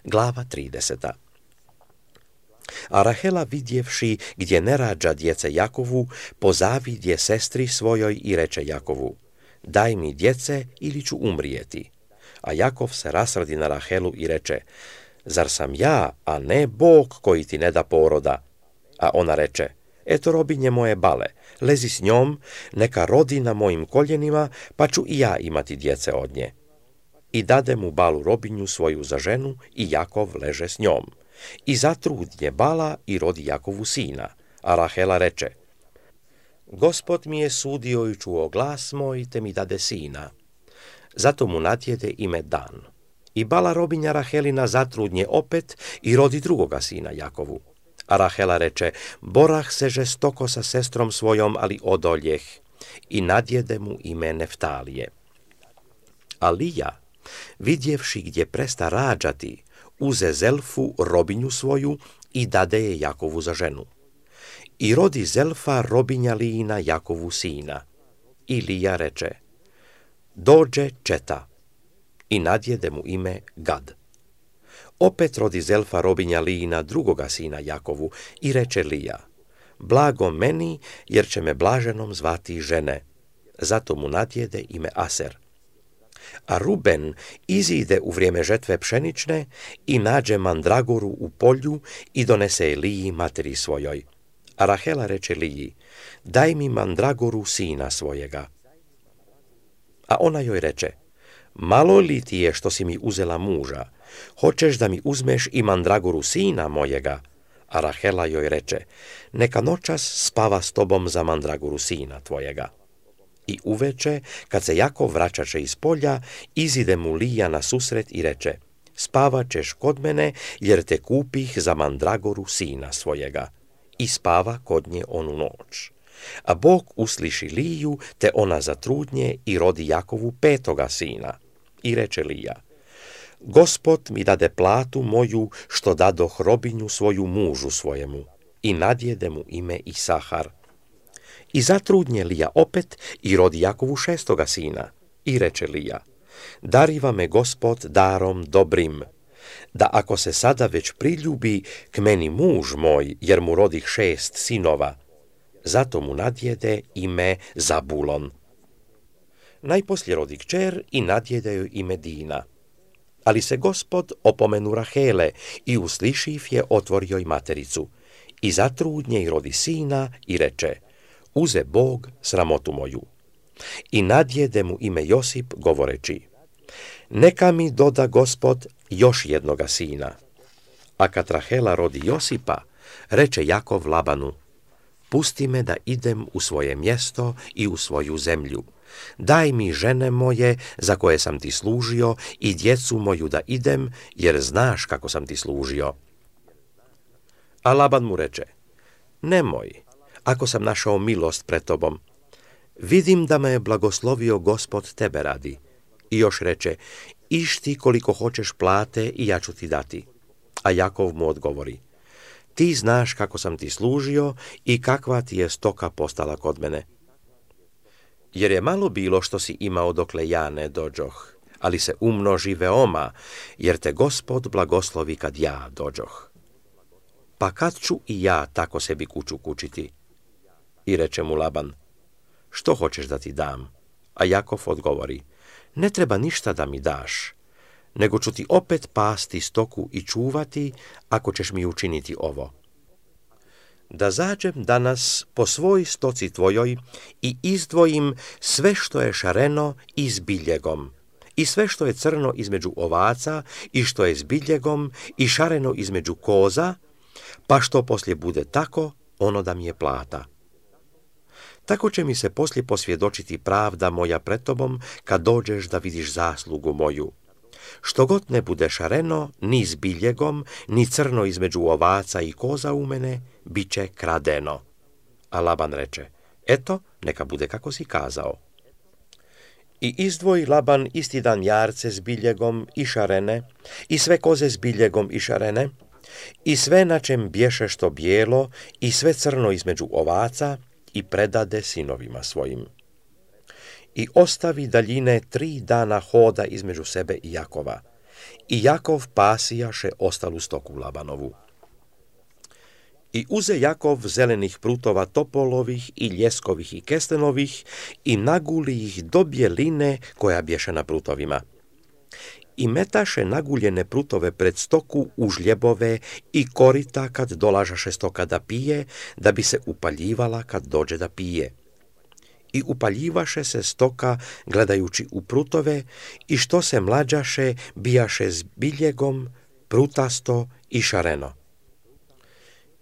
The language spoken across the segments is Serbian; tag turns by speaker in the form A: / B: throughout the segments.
A: Glava 30. A Rahela vidjevši gdje ne rađa djece Jakovu, pozavidje sestri svojoj i reče Jakovu: daj mi djece ili ću umrijeti. A Jakov se rasrdi na Rahelu i reče: zar sam ja, a ne Bog koji ti ne da poroda? A ona reče: eto robinje moje Bale, lezi s njom, neka rodi na mojim koljenima, pa ću i ja imati djece od nje. I dade mu Balu robinju svoju za ženu i Jakov leže s njom. I zatrudnje Bala i rodi Jakovu sina, a Rahela reče: Gospod mi je sudio i čuo glas moj, te mi dade sina. Zato mu natjede ime Dan. I Bala robinja Rahelina zatrudnje opet i rodi drugoga sina Jakovu. A Rahela reče: borah se žestoko sa sestrom svojom, ali odoljeh. I nadjede mu ime Neftalije. A Lija, vidjevši gdje presta rađati, uze Zelfu robinju svoju i dade je Jakovu za ženu. I rodi Zelfa robinja Lijina Jakovu sina. I Lija reče: dođe četa. I nadjede mu ime Gad. Opet rodi Zelfa robinja Lijina drugoga sina Jakovu i reče Lija: blago meni, jer će me blaženom zvati žene. Zato mu nadjede ime Aser. A Ruben izide u vrijeme žetve pšenične i nađe mandragoru u polju i donese je Liji materi svojoj. A Rahela reče Liji: daj mi mandragoru sina svojega. A ona joj reče: malo li ti je što si mi uzela muža? Hoćeš da mi uzmeš i mandragoru sina mojega? A Rahela joj reče: neka noćas spava s tobom za mandragoru sina tvojega. I uveče, kad se Jakov vraćaše iz polja, izide mu Lija na susret i reče: spavat ćeš kod mene, jer te kupih za mandragoru sina svojega. I spava kod nje onu noć. A Bog usliši Liju, te ona zatrudnje i rodi Jakovu petoga sina. I reče Lija: Gospod mi dade platu moju, što dadoh robinju svoju mužu svojemu. I nadjede mu ime Isahar. I zatrudnje Lija opet i rodi Jakovu šestoga sina. I reče Lija: dariva me Gospod darom dobrim, da ako se sada već priljubi k meni muž moj, jer mu rodih 6 sinova. Zato mu nadjede ime Zabulon. Najposlije rodi kćer i nadjede joj ime Dina. Ali se Gospod opomenu Rahele i uslišiv je otvorio i matericu. I zatrudnje i rodi sina i reče: uze Bog sramotu moju. I nadjede mu ime Josip, govoreći: neka mi doda Gospod još jednoga sina. A kad Rahela rodi Josipa, reče Jakov Labanu: pusti me da idem u svoje mjesto i u svoju zemlju. Daj mi žene moje za koje sam ti služio i djecu moju da idem, jer znaš kako sam ti služio. A Laban mu reče: nemoj, ako sam našao milost pred tobom. Vidim da me je blagoslovio Gospod tebe radi. I još reče: išti koliko hoćeš plate i ja ću ti dati. A Jakov mu odgovori: ti znaš kako sam ti služio i kakva ti je stoka postala kod mene. Jer je malo bilo što si imao dokle ja ne dođoh, ali se umnoži veoma, jer te Gospod blagoslovi kad ja dođoh. Pa kad ću i ja tako sebi kuću kućiti? I reče mu Laban: što hoćeš da ti dam? A Jakov odgovori: ne treba ništa da mi daš, nego ću ti opet pasti stoku i čuvati, ako ćeš mi učiniti ovo. Da zađem danas po svoj stoci tvojoj i izdvojim sve što je šareno i s biljegom, i sve što je crno između ovaca i što je s biljegom i šareno između koza, pa što poslije bude tako, ono da mi je plata. Tako će mi se poslije posvjedočiti pravda moja pred tobom, kad dođeš da vidiš zaslugu moju. Što god ne bude šareno, ni s biljegom, ni crno između ovaca i koza u mene, bit će kradeno. A Laban reče: eto, neka bude kako si kazao. I izdvoji Laban isti dan jarce s biljegom i šarene, i sve koze s biljegom i šarene, i sve na čem bješe što bijelo, i sve crno između ovaca, i predade sinovima svojim. I ostavi daljine 3 dana hoda između sebe i Jakova. I Jakov pasijaše ostalu stoku Labanovu. I uze Jakov zelenih prutova topolovih i ljeskovih i kestenovih i naguli ih do bjeline koja bješe na prutovima. I metaše naguljene prutove pred stoku u žljebove i korita kad dolažaše stoka da pije, da bi se upaljivala kad dođe da pije. I upaljivaše se stoka gledajući u prutove i što se mlađaše bijaše s biljegom, prutasto i šareno.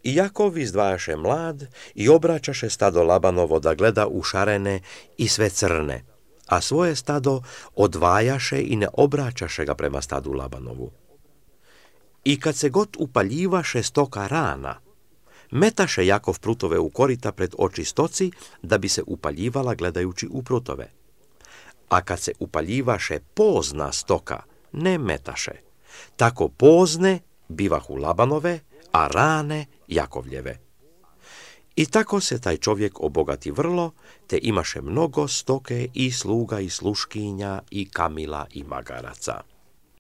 A: I Jakov izdvajaše mlad i obraćaše stado Labanovo da gleda u šarene i sve crne, a svoje stado odvajaše i ne obraćaše ga prema stadu Labanovu. I kad se god upaljivaše stoka rana, metaše Jakov prutove u korita pred oči stoci da bi se upaljivala gledajući u prutove. A kad se upaljivaše pozna stoka, ne metaše. Tako pozne bivahu Labanove, a rane Jakovljeve. I tako se taj čovjek obogati vrlo, te imaše mnogo stoke i sluga i sluškinja i kamila i magaraca.